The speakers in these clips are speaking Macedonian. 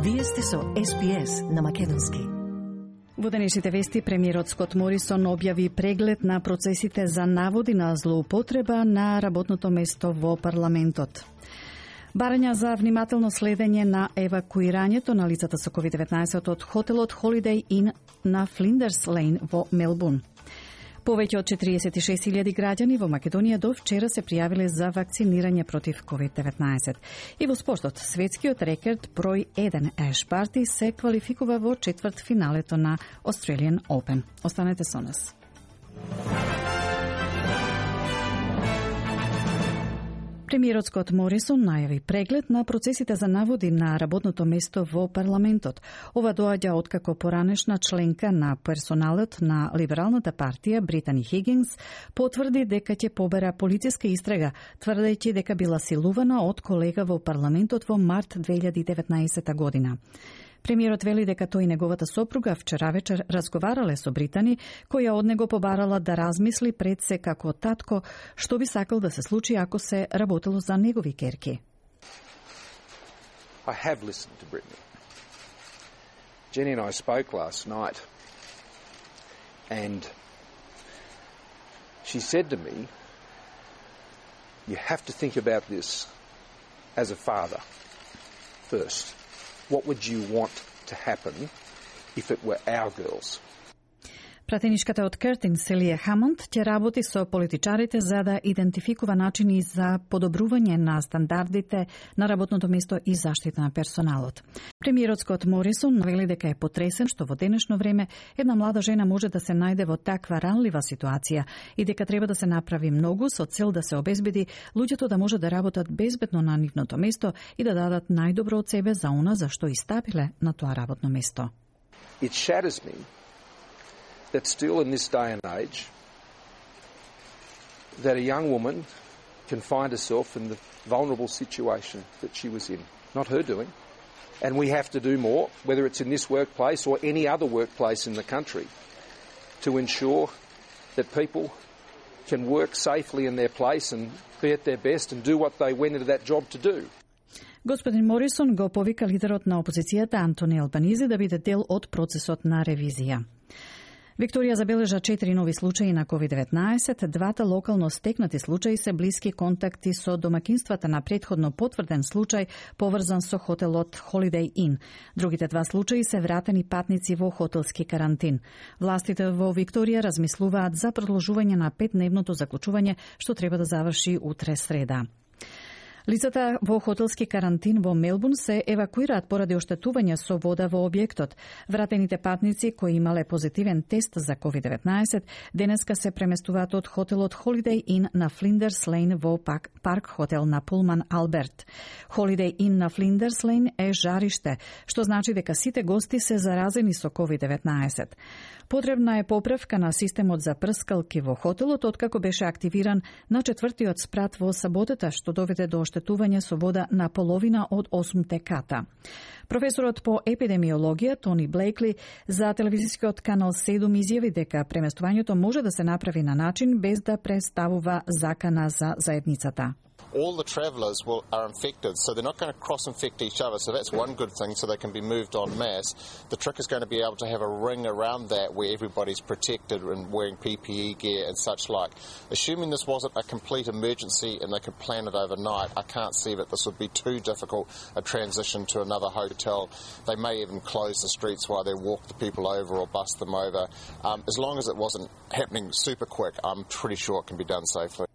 Вие сте со SPS на македонски. Во денешните вести, премиерот Скот Морисон објави преглед на процесите за наводи на злоупотреба на работното место во парламентот. Барања за внимателно следење на евакуирањето на лицата со COVID-19 од хотелот Holiday Inn на Flinders Lane во Мелбурн. Повеќе од 46.000 граѓани во Македонија до вчера се пријавиле за вакцинирање против COVID-19. И во спортот, светскиот рекорд број 1 Ash Barty се квалификува во четврт финалето на Australian Open. Останете со нас. Премиерот Скот Морисон најави преглед на процесите за наводи на работното место во парламентот. Ова доаѓа откако поранешна членка на персоналот на Либералната партија Британи Хигинс потврди дека ќе побера полициска истрага, тврдејќи дека била силувана од колега во парламентот во март 2019 година. Премиерот вели дека тој и неговата сопруга вчера вечер разговарале со Британи, која од него побарала да размисли пред се како татко што би сакал да се случи ако се работело за негови керки. I have listened to Brittany. Jenny and I spoke last night and she said to me, you have to think about this as a father first. What would you want to happen if it were our girls? Пратеничката од Кертин Селија Хамонд ќе работи со политичарите за да идентификува начини за подобрување на стандардите на работното место и заштита на персоналот. Премиерот Скот Морисон навели дека е потресен што во денешно време една млада жена може да се најде во таква ранлива ситуација и дека треба да се направи многу со цел да се обезбеди луѓето да може да работат безбедно на нивното место и да дадат најдобро од себе за она за што и стапиле на тоа работно место. It shatters me that still in this day and age, that a young woman can find herself in the vulnerable situation that she was in. Not her doing. And we have to do more, whether it's in this workplace or any other workplace in the country, to ensure that people can work safely in their place and be at their best and do what they went into that job to do. Господин Морисон го повика лидерот на опозицијата Антони Албанизи да биде дел од процесот на ревизија. Викторија забележа 4 нови случаи на COVID-19, двата локално стекнати случаи се блиски контакти со домакинствата на претходно потврден случај поврзан со хотелот Holiday Inn. Другите два случаи се вратени патници во хотелски карантин. Властите во Викторија размислуваат за продолжување на 5-дневното заклучување што треба да заврши утре среда. Лицата во хотелски карантин во Мелбурн се евакуираат поради оштетување со вода во објектот. Вратените патници кои имале позитивен тест за COVID-19 денеска се преместуваат од хотелот Holiday Inn на Flinders Lane во парк хотел на Пулман Алберт. Holiday Inn на Flinders Lane е жариште, што значи дека сите гости се заразени со COVID-19. Потребна е поправка на системот за прскалки во хотелот откако беше активиран на 4-тиот спрат во саботата, што доведе до оштетување со вода на половина од 8 ката. Професорот по епидемиологија Тони Блейкли за телевизискиот канал 7 изјави дека преместувањето може да се направи на начин без да представува закана за заедницата. All the travellers are infected, so they're not going to cross-infect each other. So that's one good thing, so they can be moved en masse. The trick is going to be able to have a ring around that where everybody's protected and wearing PPE gear and such like. Assuming this wasn't a complete emergency and they could plan it overnight, I can't see that this would be too difficult a transition to another hotel. They may even close the streets while they walk the people over or bus them over. As long as it wasn't happening super quick, I'm pretty sure it can be done safely.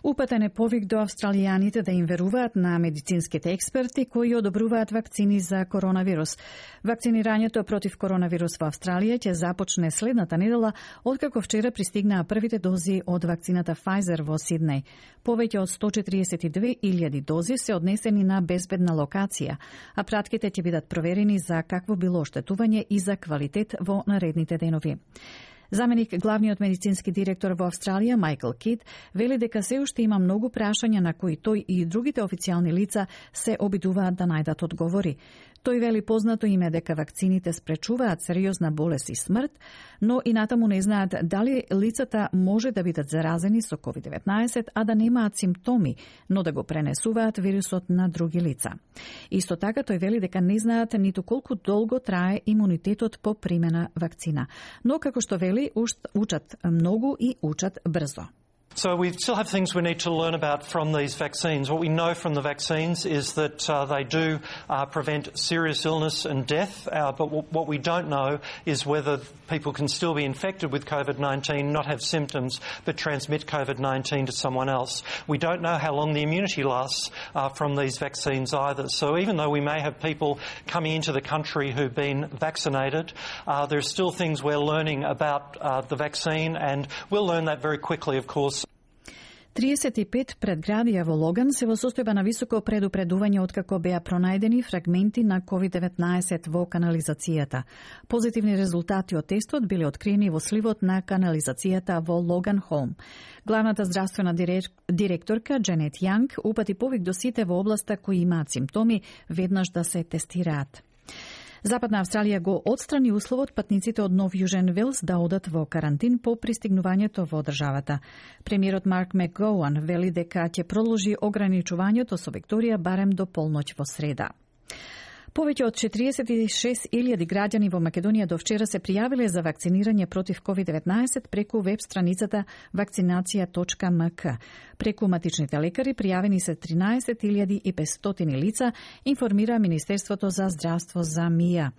Упатен е повик до австралијаните да им веруваат на медицинските експерти кои одобруваат вакцини за коронавирус. Вакцинирањето против коронавирус во Австралија ќе започне следната недела, откако вчера пристигнаа првите дози од вакцината Pfizer во Сиднеј. Повеќе од 142.000 дози се однесени на безбедна локација, а пратките ќе бидат проверени за какво било оштетување и за квалитет во наредните денови. Заменик главниот медицински директор во Австралија, Майкл Кит, вели дека се уште има многу прашања на кои тој и другите официјални лица се обидуваат да најдат одговори. Тој вели познато им е дека вакцините спречуваат сериозна болест и смрт, но и натаму не знаат дали лицата може да бидат заразени со COVID-19, а да немаат симптоми, но да го пренесуваат вирусот на други лица. Исто така тој вели дека не знаат ниту колку долго трае имунитетот по примена вакцина. Но како што вели, учат многу и учат брзо. So we still have things we need to learn about from these vaccines. What we know from the vaccines is that they do prevent serious illness and death, but what we don't know is whether people can still be infected with COVID-19, not have symptoms, but transmit COVID-19 to someone else. We don't know how long the immunity lasts from these vaccines either. So even though we may have people coming into the country who've been vaccinated, there are still things we're learning about the vaccine, and we'll learn that very quickly, of course. 35 предградија во Логан се во состојба на високо предупредување откако беа пронајдени фрагменти на COVID-19 во канализацијата. Позитивни резултати од тестот биле откриени во сливот на канализацијата во Логан Холм. Главната здравствена директорка Дженет Јанг упати повик до сите во областа кои имаат симптоми веднаш да се тестираат. Западна Австралија го отстрани условот патниците од Нов Јужен Велс да одат во карантин по пристигнувањето во државата. Премиерот Марк Макгоуан вели дека ќе продолжи ограничувањето со Викторија барем до полноќ во среда. Повеќе од 46.000 граѓани во Македонија до вчера се пријавиле за вакцинирање против COVID-19 преку веб страницата vakcinacija.mk. Преку матичните лекари пријавени се 13.500 лица, информира Министерството за здравство за МИА.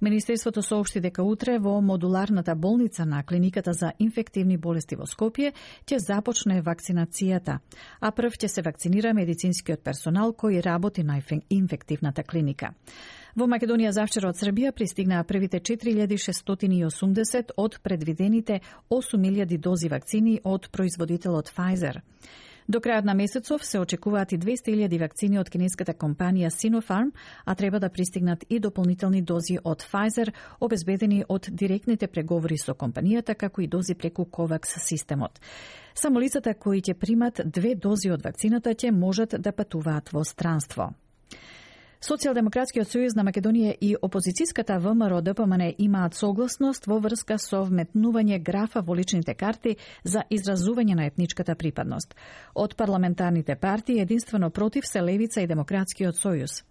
Министерството соопшти дека утре во модуларната болница на Клиниката за инфективни болести во Скопје ќе започне вакцинацијата, а прв ќе се вакцинира медицинскиот персонал кој работи на инфективната клиника. Во Македонија завчера од Србија пристигнаа првите 4680 од предвидените 8000 дози вакцини од производителот Pfizer. До крајот на месецов се очекуваат и 200.000 вакцини од кинеската компанија Sinopharm, а треба да пристигнат и дополнителни дози од Pfizer, обезбедени од директните преговори со компанијата, како и дози преку COVAX системот. Само лицата кои ќе примат 2 дози од вакцината ќе можат да патуваат во странство. Социјалдемократскиот сојуз на Македонија и опозицијската ВМРО ДПМН имаат согласност во врска со вметнување графа во личните карти за изразување на етничката припадност. Од парламентарните партии единствено против се Левица и Демократскиот сојуз.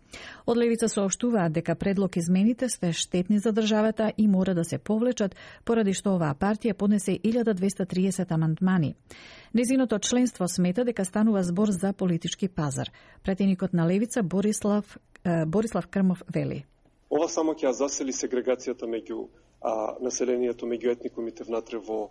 Од Левица соопштуваат дека предлог измените се штетни за државата и мора да се повлечат, поради што оваа партија поднесе 1230 амандмани. Незиното членство смета дека станува збор за политички пазар. Пратеникот на Левица Борислав Крмов вели: Ова само ќе засили сегрегацијата меѓу населението, меѓу етникумите внатре во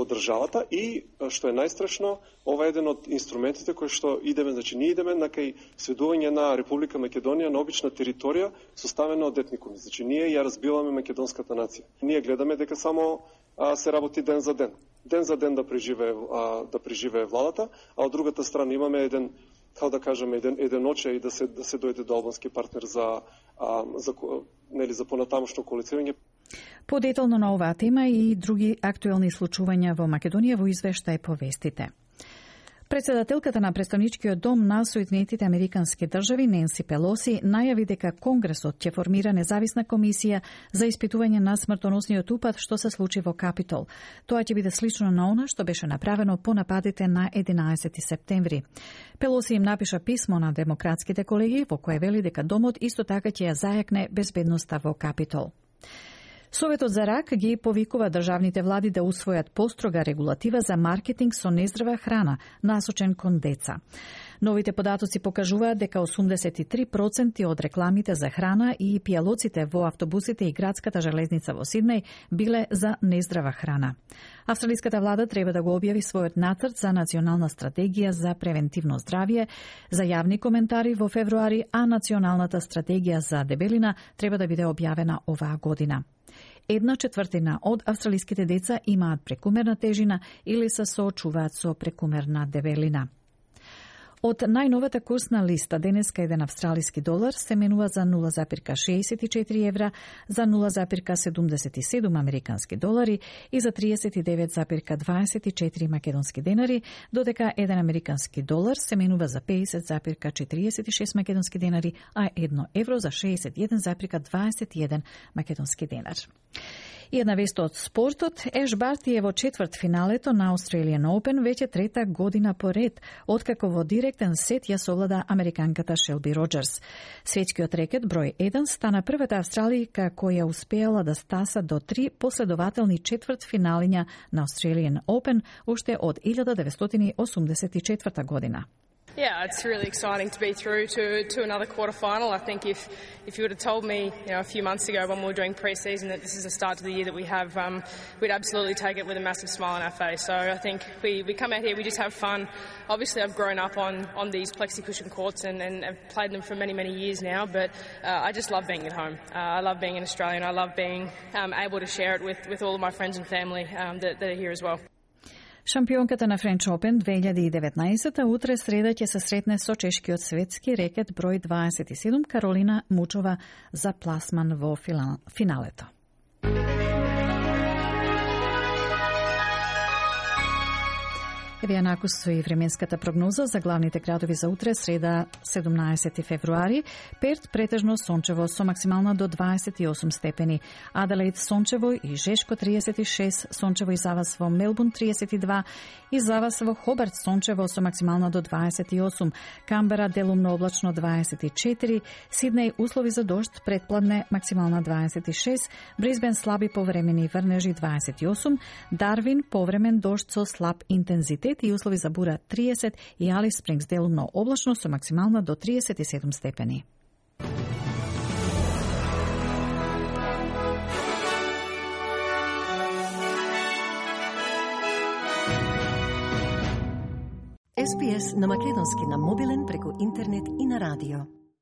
државата и, што е најстрашно, ова е еден од инструментите кои што идеме, значи ние идеме на кај сведување на Република Македонија на обична територија составена од етникуми. Значи ние ја разбиваме македонската нација. Ние гледаме дека само се работи ден за ден. Ден за ден да преживее владата, а од другата страна имаме еден, како да кажеме, еден очај да се дојде до албански партнер за понатамошно коалицирање. Подетално на оваа тема и други актуелни случувања во Македонија во извештај по вестите. Председателката на Претставничкиот дом на Соединетите Американски држави Ненси Пелоси најави дека Конгресот ќе формира независна комисија за испитување на смртоносниот упад што се случи во Капитол. Тоа ќе биде слично на она што беше направено по нападите на 11 септември. Пелоси им напиша писмо на демократските колеги во кое вели дека домот исто така ќе ја зајакне безбедноста во Капитол. Советот за рак ги повикува државните влади да усвојат построга регулатива за маркетинг со нездрава храна, насочен кон деца. Новите податоци покажуваат дека 83% од рекламите за храна и пијалоците во автобусите и градската железница во Сиднеј биле за нездрава храна. Австралиската влада треба да го објави својот нацрт за национална стратегија за превентивно здравје за јавни коментари во февруари, а националната стратегија за дебелина треба да биде објавена оваа година. 1/4 од австралиските деца имаат прекумерна тежина или се соочуваат со прекумерна дебелина. Од најновата курсна листа денеска еден австралиски долар се менува за 0,64 евра, за 0,77 американски долари и за 39,24 македонски денари, додека еден американски долар се менува за 50,46 македонски денари, а 1 евро за 61,21 македонски денар. И една вест од спортот, Еш Барти е во четврт финалето на Australian Open веќе трета година поред, откако во директен сет ја совлада американката Шелби Роџерс. Светскиот рекет број 1 стана првата австралијка која успеала да стаса до 3 последователни четврт финалиња на Australian Open уште од 1984 година. Yeah, it's really exciting to be through to another quarterfinal. I think if you would have told me, a few months ago when we were doing pre-season that this is the start to the year that we have, we'd absolutely take it with a massive smile on our face. So I think we come out here, we just have fun. Obviously, I've grown up on these plexi cushion courts and I've played them for many, many years now. But I just love being at home. I love being in Australia, and I love being able to share it with all of my friends and family that are here as well. Шампионката на French Open 2019 утре среда ќе се сретне со чешкиот светски рекет број 27 Каролина Мучова за пласман во финалето. Еве ја накусу и временската прогноза за главните градови за утре, среда 17 февруари. Перт претежно сончево со максимална до 28 степени. Аделаид сончево и жешко 36, сончево и завас во Мелбурн 32 и завас во Хобарт сончево со максимална до 28. Камбера делумно облачно 24, Сиднеј услови за дожд претпладне максимална 26, Брисбен слаби повремени врнежи 28, Дарвин повремен дожд со слаб интензитет и услови за бура 30 и Алис Спрингс делумно облачно со максимална до 37 степени. SPS на македонски на мобилен преку интернет и на радио.